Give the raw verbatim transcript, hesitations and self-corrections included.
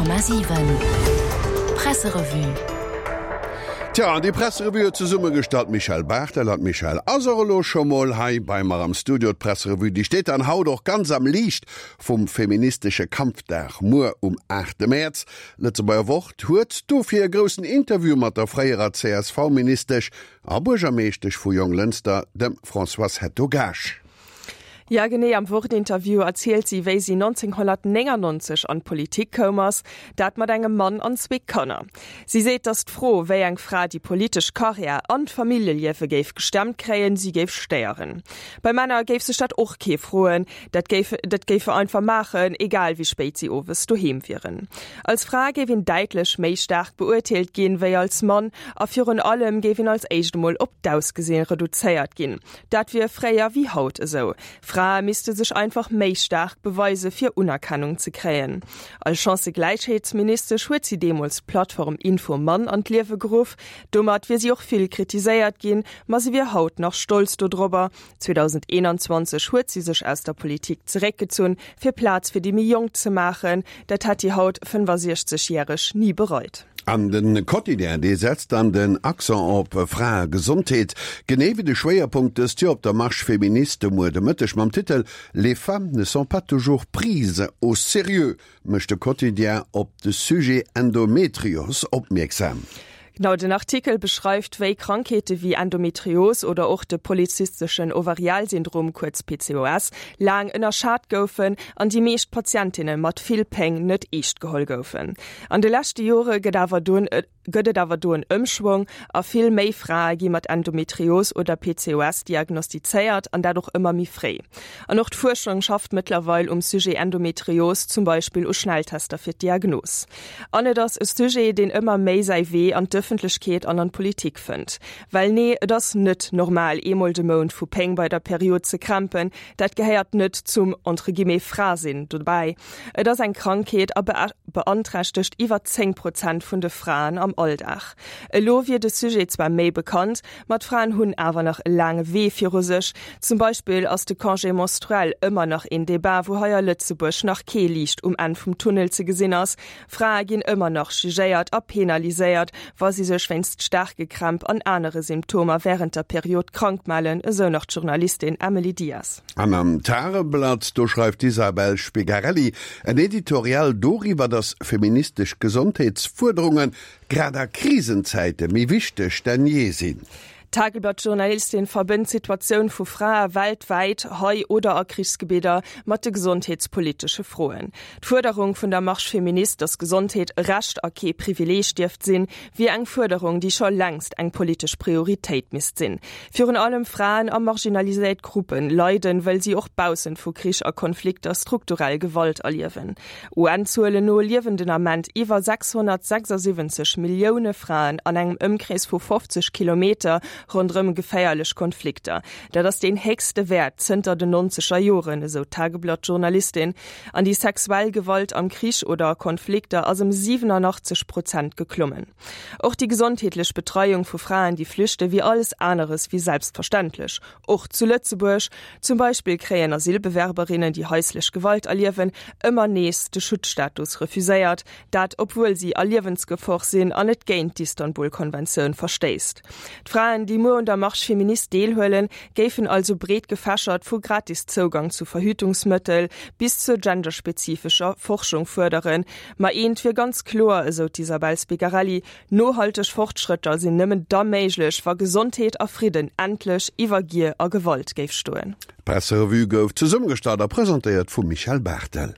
Honnert Komma siwen Presserevue. Tja, an déi Presserevue huet zesummegestallt d'Michèle Barthel. An d'Michèle ass och elo scho mol hei bei mer am Studio. D'Presserevue, déi steet dann haut och ganz am Liicht vum feministesche Kampfdag muer um aachte Mäerz. Lëtzebuerger Wort huet dofir e groussen Interview mat der fréierer C S V-Ministesch a Buergermeeschtesch vu Jonglënster, dem Françoise Hetto-Gaasch. Ja, genee, am Wort-Interview erzielt si, wéi si nonzénghonnertnéngannonzeg an d'Politik koum ass, dat mat engem Mann an zwee Kanner. Si seet, datt d'Fro, wéi eng Fra déi politesch Karriär an d'Familljeliewe géif gestemmt kréien, si géif stéieren. Bei Männer géif sech dat och kee froen, dat géif dat géife einfach maachen, egal wéi spéit si owes doheem wieren. Als Fra géif een däitlech méi staark beurteelt ginn, wéi als Mann, a virun allem géif een als éischt emol op d'Ausgesinn reduzéiert ginn. Dat wier fréier wéi haut esou. Frae misste sech einfach méi staark beweise fir Unerkennung ze kréien. Als Chancëgläichheetsministesch huet si deemools d'Plattform Info-Mann an d'Liewe geruff. Domat wier si och vill kritiséiert ginn, ma si wier haut nach stolz dodrobber. zweedausendeenanzwanzeg huet si sech aus der Politik zeréckgezunn, fir Plaz fir déi méi Jonk ze maachen. Dat hätt déi haut fënnfasiechzeg järeg ni bereit. An de Quotidien, dee setzt dann den Accent op Fraegesondheet, genee wéi de Schwéierpunkt dëst Joer op der Marche féministe muer de Mëtteg. Mam Titel Les femmes ne sont pas toujours prises au sérieux mécht de Quotidien op de Sujet Endometrios opmierksam. Genau, den Artikel beschreift, wéi Krankheete wéi Endometrios oder och de polyzysteschen Ovarialsyndrom, kuerz P C O S, laang ënnerschat goufen an déi meescht Patientinne mat vill Péng net eescht geholl goufen. An de leschte Jore gëtt awer dunn gëtt et awer do en Ëmschwong a vill méi Frae gi mat Endometrios oder P C O S diagnostizéiert an dat och ëmmer méi fréi. An och d'Fuerschung schafft mëttlerweil um Sujet Endometrios, zum Beispill u Schnelltester fir d'Diagnos. An et ass e Sujet, deen ëmmer méi säi Wee an d'Ëffentlechkeet an an d'Politik fënnt. Well nee, et ass net normal, eemol de Mount vu Péng bei der Period ze krämpen, dat gehéiert net zum entre guillemets Frasinn dobäi. Et ass eng Krankheet a beanträchtegt iwwer zéng Prozent vun de Fraen am Alldag. Elo wier de Sujet zwar méi bekannt, ma d'Fraen hunn awer nach e laange Wee viru sech. Zum Beispill ass de Congé menstruel ëmmer nach een Debat, wou hei a Lëtzebuerg nach kee Liicht um Enn vum Tunnel ze gesinn ass. Frae ginn ëmmer nach jugéiert a penaliséiert, wa si sech wéinst staarke Krämp an anere Symptomer wärend der Period krank mellen, esou nach d'Journalistin Emily Dias. An am Tageblatt, do schreift d'Isabel Spigarelli en Editorial doriwwer, dass feministesch Gesondheetsfuerderunge grad a Krisenzäite méi wichteg denn jee sinn. D'Tageblatt-Journalistin verbënnt d'Situatioun vu Frae weltwäit, hei oder a Krichsgebidder, mat de gesondheetspolitesche Froen. D'Fuerderung vun der Marche féministe, dass Gesondheet e Recht a kee Privileeg dierft sinn, wier eng Fuerderung, déi scho längst eng politesch Prioritéit misst sinn. Virun allem Fraen a marginaliséiert Gruppe leiden, well si och baussent vu Krich a Konflikter strukturell Gewalt erliewen. U N-Zuelen no liewen den Ament iwwer sechshonnertsechsasiwwenzeg Millioune Fraen an engem Ëmkrees vu fofzeg Kilometer ronderëm geféierlech Konflikter. Dat ass deen héchste Wäert zënter den nonzeger Joren, esou d'Tageblatt-Journalistin. An déi sexuell Gewalt am Krich oder a Konflikter ass ëm siwenanachtzeg Prozent geklommen. Och déi gesondheetlech Betreiung vu Fraen, déi flüchten, wier alles aneres wéi selbstverständlech. Och zu Lëtzebuerg. Zum Beispill kréien Asylbewerberinnen, déi haislech Gewalt erliewen, ëmmer nees de Schutzstatus refuséiert, dat obwuel si a Liewensgefor sinn an et géint d'Istanbul-Konventioun verstéisst. D'Fraen, déi muer un der Marche féministe deelhuelen, géifen also breet gefächert vu gratis Zougang zu Verhütungsmëttel bis zur genderspezifescher Forschung fuerderen. Ma eent wier ganz kloer, esou d'Isabel Spigarelli, Nohalteg Fortschrëtter sinn nëmmen da méiglech, wa Gesondheet a Fridden endlech iwwer Gier a Gewalt géif stoen. D'Presserevue gouf zesummegestallt a presentéiert vum Michèle Barthel.